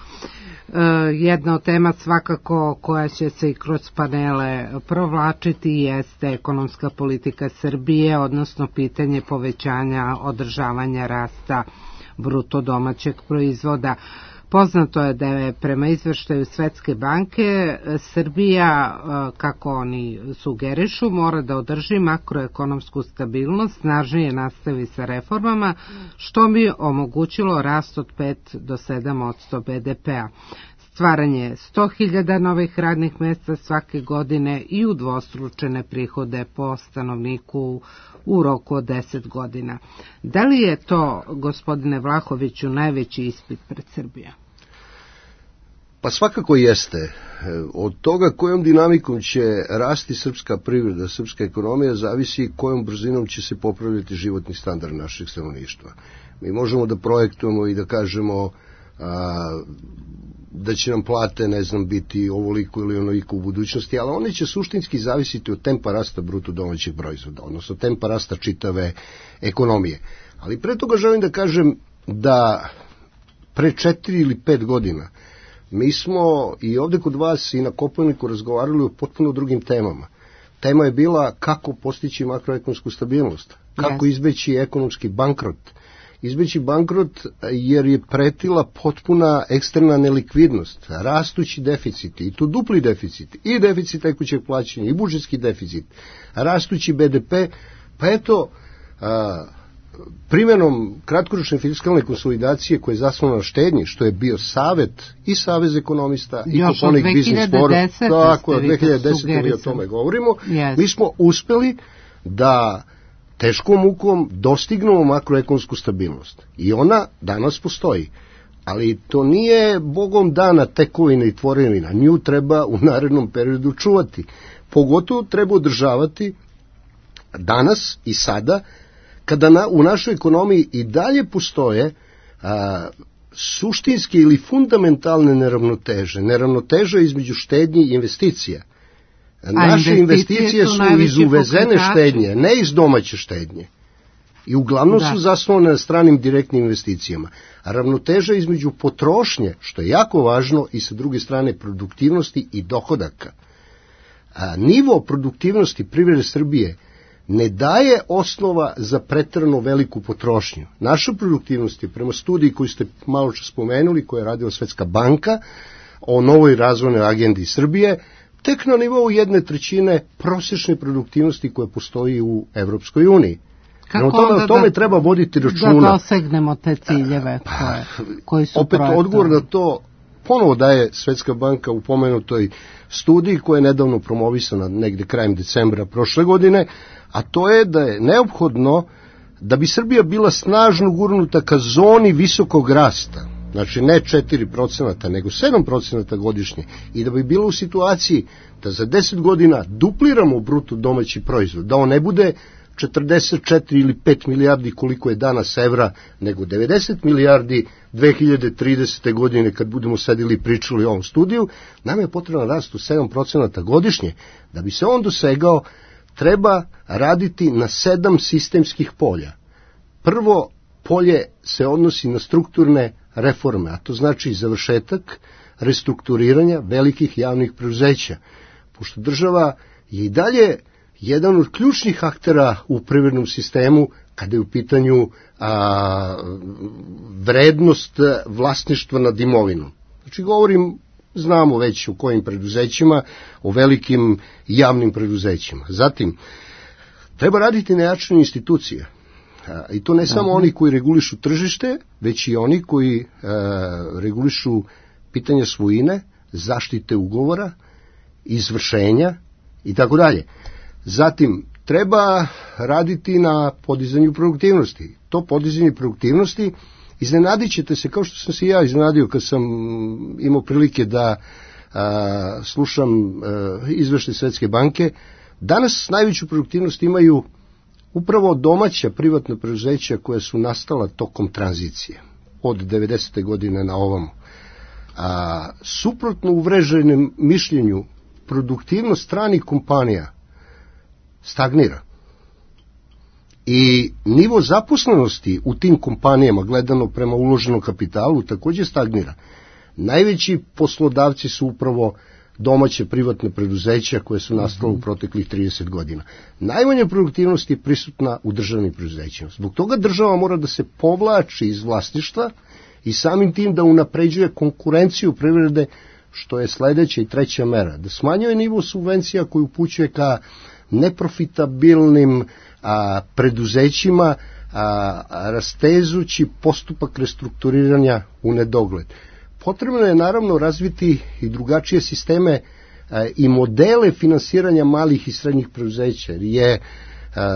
Jedna od tema svakako koja će se i kroz panele provlačiti jeste ekonomska politika Srbije, odnosno pitanje povećanja, održavanja rasta bruto domaćeg proizvoda. Poznato je da je prema izveštaju Svetske banke Srbija, kako oni sugerišu, mora da održi makroekonomsku stabilnost, snažnije nastavi sa reformama, što bi omogućilo rast od 5 do 7% BDP-a. Stvaranje 100.000 novih radnih mesta svake godine i udvostručene prihode po stanovniku u roku od 10 godina. Da li je to, gospodine Vlahoviću, najveći ispit pred Srbija? Pa svakako jeste. Od toga kojom dinamikom će rasti srpska privreda, srpska ekonomija, zavisi kojom brzinom će se popravljati životni standard našeg stanovništva. Mi možemo da projektujemo i da kažemo da će nam plate, ne znam, biti ovoliko ili onoliko u budućnosti, ali one će suštinski zavisiti od tempa rasta bruto domaćeg proizvoda, odnosno tempa rasta čitave ekonomije. Ali pre toga želim da kažem da pre 4 ili 5 godina mi smo i ovde kod vas i na Kopaoniku razgovarali o potpuno drugim temama. Tema je bila kako postići makroekonomsku stabilnost, kako izbeći ekonomski bankrot. Izbeći bankrot jer je pretila potpuna eksterna nelikvidnost, rastući deficiti, i to dupli deficit, i deficit tekućeg plaćanja, i budžetski deficit, rastući BDP, pa eto, primjenom kratkoročne fiskalne konsolidacije koje je zasnovana na štednji, što je bio savet i Savez ekonomista i Kopaonik Biznis Forum, tako od 2010. mi o tome govorimo, mi smo uspeli da teškom mukom dostignemo makroekonomsku stabilnost. I ona danas postoji. Ali to nije Bogom dana tekovina i tvorevina. Nju treba u narednom periodu čuvati. Pogotovo treba održavati danas i sada, kada u našoj ekonomiji i dalje postoje suštinske ili fundamentalne neravnoteže. Neravnoteže između štednji i investicija. Naše investicije su iz uvezene štednje, ne iz domaće štednje. I uglavnom su zasnovane na stranim direktnim investicijama. A ravnoteža između potrošnje, što je jako važno, i sa druge strane produktivnosti i dohodaka. Nivo produktivnosti privrede Srbije ne daje osnova za preterano veliku potrošnju. Naša produktivnost je, prema studiji koju ste malo čas spomenuli, koju je radila Svetska banka o novoj razvojnoj agendi Srbije, tek na nivou 1/3 prosječne produktivnosti koja postoji u Evropskoj uniji. O tome treba voditi računa. Da dosegnemo te ciljeve koji su opet projektovani. Odgovor na to ponovo daje Svetska banka u pomenutoj studiji koja je nedavno promovisana negde krajem decembra prošle godine, a to je da je neophodno da bi Srbija bila snažno gurnuta ka zoni visokog rasta, znači ne 4%, nego 7% godišnje, i da bi bilo u situaciji da za 10 godina dupliramo bruto domaći proizvod, da on ne bude 44 ili 5 milijardi koliko je danas evra, nego 90 milijardi 2030. godine kad budemo sedili i pričali o ovom studiju, nam je potreban rast u 7% godišnje. Da bi se on dosegao, treba raditi na 7 sistemskih polja. Prvo polje se odnosi na strukturne reforme, a to znači završetak restrukturiranja velikih javnih preduzeća, pošto država je i dalje jedan od ključnih aktera u privrednom sistemu kada je u pitanju vrednost vlasništva nad imovinom. Znači govorim znamo već o kojim preduzećima, o velikim javnim preduzećima. Zatim, treba raditi na jačanju institucija. I to ne samo oni koji regulišu tržište, već i oni koji regulišu pitanja svojine, zaštite ugovora, izvršenja i tako dalje. Zatim, treba raditi na podizanju produktivnosti. To podizanje produktivnosti, iznenadit ćete se, kao što sam se ja iznenadio kad sam imao prilike da slušam izveštaj Svetske banke, danas najveću produktivnost imaju upravo domaća privatna preduzeća koja su nastala tokom tranzicije od 90. godine na ovamo. Suprotno uvreženem mišljenju, produktivnost stranih kompanija stagnira. I nivo zaposlenosti u tim kompanijama, gledano prema uloženom kapitalu, također stagnira. Najveći poslodavci su upravo domaće privatne preduzeća koje su nastale u proteklih 30 godina. Najmanja produktivnost je prisutna u državnim preduzećima. Zbog toga država mora da se povlači iz vlasništva i samim tim da unapređuje konkurenciju privrede, što je sledeća i treća mera. Da smanjuje nivo subvencija koji upućuje ka neprofitabilnim preduzećima, rastezući postupak restrukturiranja u nedogled. Potrebno je naravno razviti i drugačije sisteme i modele finansiranja malih i srednjih preduzeća, jer je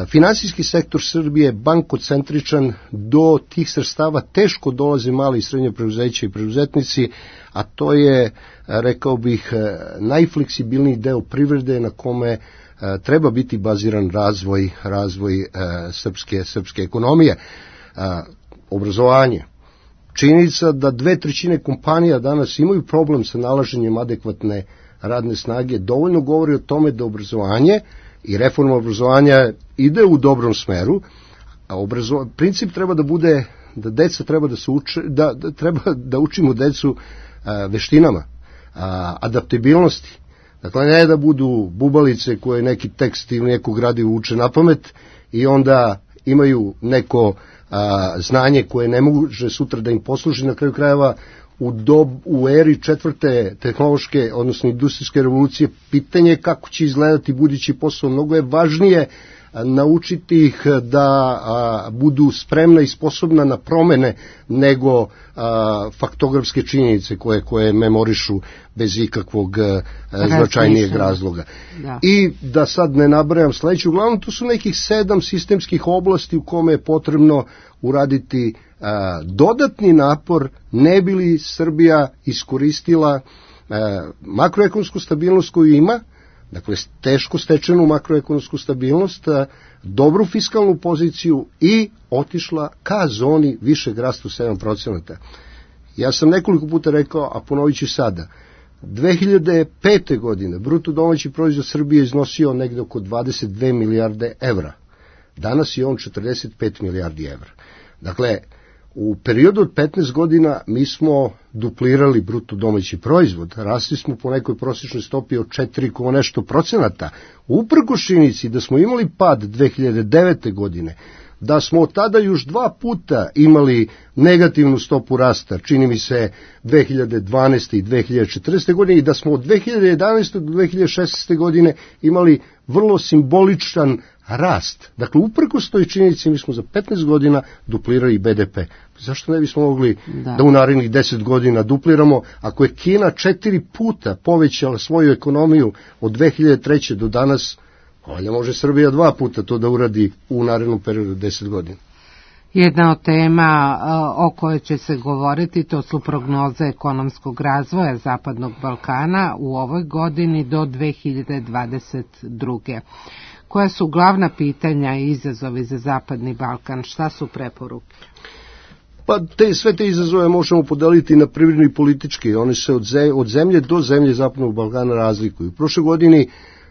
finansijski sektor Srbije bankocentričan, do tih sredstava teško dolaze mali i srednje preduzeća i preduzetnici, a to je, rekao bih, najfleksibilniji deo privrede na kome treba biti baziran razvoj srpske ekonomije. Obrazovanje. Činjenica da 2/3 kompanija danas imaju problem sa nalaženjem adekvatne radne snage dovoljno govori o tome da obrazovanje i reforma obrazovanja ide u dobrom smeru, a princip treba da bude da deca treba da se uče, treba da učimo decu veštinama, adaptabilnosti. Dakle, ne da budu bubalice koje neki tekst ili neku gradivo uče na pamet i onda imaju neko znanje koje ne može sutra da im posluži. Na kraju krajeva u eri četvrte tehnološke, odnosno industrijske revolucije, pitanje kako će izgledati budući posao. Mnogo je važnije naučiti ih da budu spremna i sposobna na promene nego faktografske činjenice koje memorišu bez ikakvog značajnijeg razloga. Da. I da sad ne nabrajam sledeću, uglavnom tu su nekih 7 sistemskih oblasti u kome je potrebno uraditi dodatni napor, ne bi li Srbija iskoristila makroekonomsku stabilnost koju ima, dakle teško stečenu makroekonomsku stabilnost, dobru fiskalnu poziciju i otišla ka zoni višeg rasta 7%. Ja sam nekoliko puta rekao, a ponovit ću sada, 2005. godine bruto domaći proizvod Srbije iznosio negde oko 22 milijarde evra. Danas je on 45 milijardi evra. Dakle, u periodu od 15 godina mi smo duplirali bruto domaći proizvod, rasli smo po nekoj prosječnoj stopi od 4, nešto procenata, uprkos činjenici da smo imali pad 2009. godine, da smo od tada još 2 puta imali negativnu stopu rasta, čini mi se 2012. i 2014. godine, i da smo od 2011. do 2016. godine imali vrlo simboličan rast. Dakle, uprkos toj činjenici mi smo za 15 godina duplirali BDP. Zašto ne bismo mogli da u narednih 10 godina dupliramo, ako je Kina 4 puta povećala svoju ekonomiju od 2003. do danas, valjda može Srbija 2 puta to da uradi u narednom periodu 10 godina. Jedna od tema o kojoj će se govoriti to su prognoze ekonomskog razvoja Zapadnog Balkana u ovoj godini do 2022. Koja su glavna pitanja i izazovi za Zapadni Balkan? Šta su preporuke? Pa sve te izazove možemo podeliti na privredni i politički. Oni se od zemlje do zemlje Zapadnog Balkana razlikuju. U prošle godini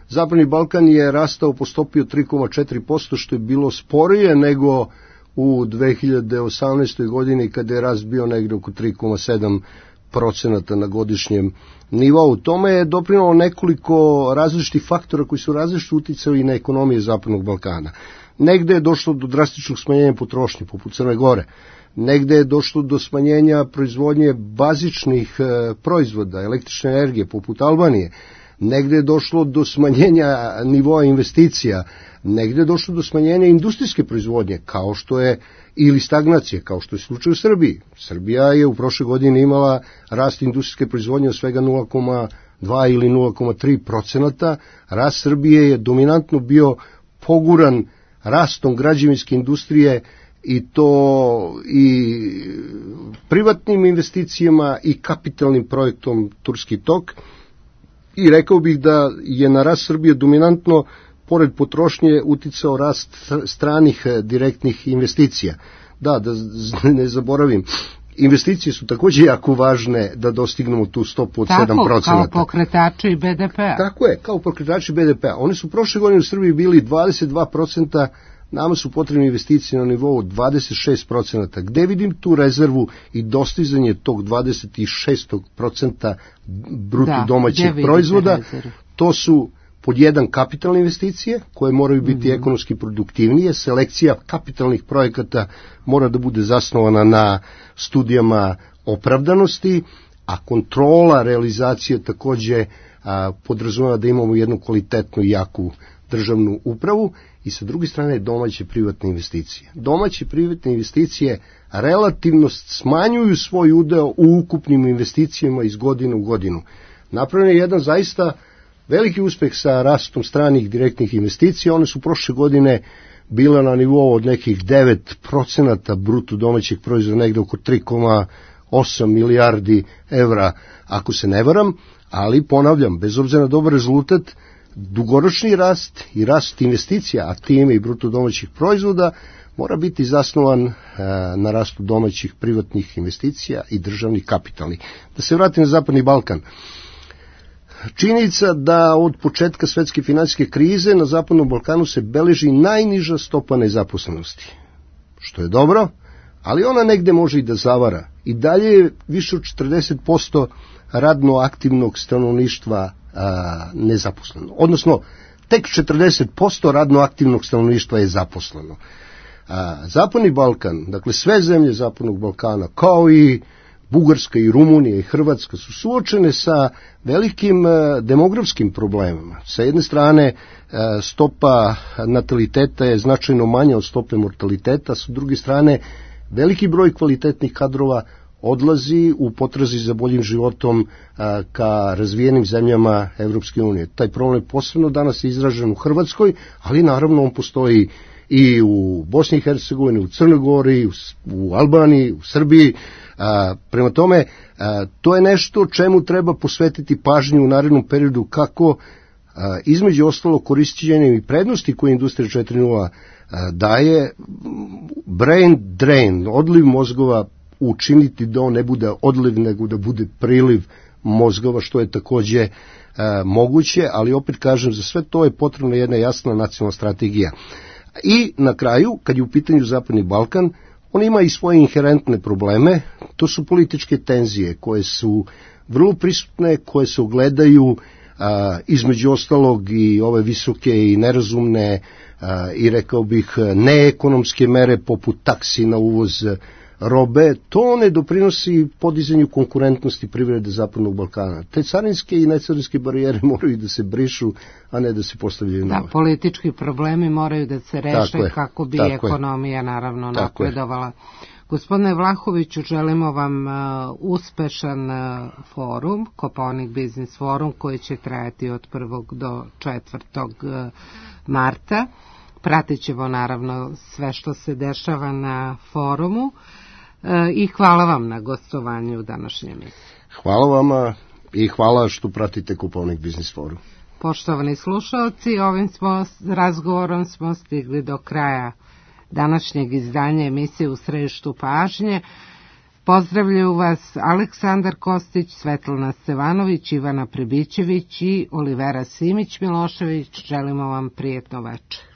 Zapadni Balkan je rastao po stopi od 3,4%, što je bilo sporije nego u 2018. godini kada je rast bio negde oko 3,7% na godišnjem nivou. Tome je doprinalo nekoliko različitih faktora koji su različito uticali na ekonomije Zapadnog Balkana. Negde je došlo do drastičnog smanjenja potrošnje, poput Crne Gore. Negde je došlo do smanjenja proizvodnje bazičnih proizvoda, električne energije, poput Albanije. Negde je došlo do smanjenja nivoa investicija. Negde je došlo do smanjenja industrijske proizvodnje, kao što je, ili stagnacije, kao što je slučaj u Srbiji. Srbija je u prošle godine imala rast industrijske proizvodnje od svega 0,2 ili 0,3%. Rast Srbije je dominantno bio poguran rastom građevinske industrije, i to i privatnim investicijama i kapitalnim projektom Turski tok. I rekao bih da je na rast Srbije dominantno, pored potrošnje, uticao rast stranih direktnih investicija. Da ne zaboravim, investicije su takođe jako važne da dostignemo tu stopu od 7%. Tako, kao pokretači BDP-a. Tako je, kao pokretači BDP-a. Oni su prošle godine u Srbiji bili 22%, nama su potrebne investicije na nivou 26%. Gde vidim tu rezervu i dostizanje tog 26% bruto domaćeg proizvoda? To su pod jedan kapitalne investicije, koje moraju biti ekonomski produktivnije. Selekcija kapitalnih projekata mora da bude zasnovana na studijama opravdanosti, a kontrola realizacije takođe podrazumeva da imamo jednu kvalitetnu i jaku državnu upravu. I sa druge strane domaće privatne investicije. Domaće privatne investicije relativno smanjuju svoj udeo u ukupnim investicijama iz godine u godinu. Napravljen je jedan zaista veliki uspeh sa rastom stranih direktnih investicija. One su prošle godine bile na nivou od nekih 9% bruto domaćeg proizvoda, negde oko 3,8 milijardi evra, ako se ne varam, ali ponavljam, bez obzira na dobar rezultat, dugoročni rast i rast investicija, a time i bruto domaćih proizvoda, mora biti zasnovan na rastu domaćih privatnih investicija i državnih kapitalnih. Da se vratim na Zapadni Balkan. Činjenica da od početka svetske finansijske krize na Zapadnom Balkanu se beleži najniža stopa nezaposlenosti, što je dobro, ali ona negde može i da zavara. I dalje je više od 40% radno aktivnog stanovništva nezaposleno. Odnosno, tek 40% radno aktivnog stanovništva je zaposleno. Zapadni Balkan, dakle sve zemlje Zapadnog Balkana, kao i Bugarska i Rumunija i Hrvatska, su suočene sa velikim demografskim problemima. Sa jedne strane, stopa nataliteta je značajno manja od stope mortaliteta, sa druge strane, veliki broj kvalitetnih kadrova odlazi u potrazi za boljim životom ka razvijenim zemljama Evropske unije. Taj problem je posebno danas izražen u Hrvatskoj, ali naravno on postoji i u Bosni i Hercegovini, u Crnoj Gori, u Albaniji, u Srbiji. Prema tome, to je nešto čemu treba posvetiti pažnju u narednom periodu, kako između ostalo korišćenjem i prednosti koje Industrija 4.0 daje, brain drain, odliv mozgova, učiniti da on ne bude odliv, nego da bude priliv mozgova, što je takođe moguće, ali opet kažem, za sve to je potrebna jedna jasna nacionalna strategija. I na kraju, kad je u pitanju Zapadni Balkan, on ima i svoje inherentne probleme, to su političke tenzije koje su vrlo prisutne, koje se ogledaju između ostalog i ove visoke i nerazumne i rekao bih neekonomske mere poput taksi na uvoz robe. To ne doprinosi podizanju konkurentnosti privrede Zapadnog Balkana. Te carinske i necarinske barijere moraju da se brišu, a ne da se postavljaju nove. Da, politički problemi moraju da se reše kako bi ekonomija naravno napredovala. Gospodine Vlahoviću, želimo vam uspešan forum, Kopaonik Biznis forum, koji će trajati od 1. do 4. marta. Pratit ćemo naravno sve što se dešava na forumu i hvala vam na gostovanju u današnjem emisiji. Hvala vama i hvala što pratite Kopaonik Biznis forum. Poštovani slušalci, ovim razgovorom smo stigli do kraja današnjeg izdanja emisije U središtu pažnje. Pozdravljaju vas Aleksandar Kostić, Svetlana Stevanović, Ivana Prebićević i Olivera Simić Milošević. Želimo vam prijetno večer.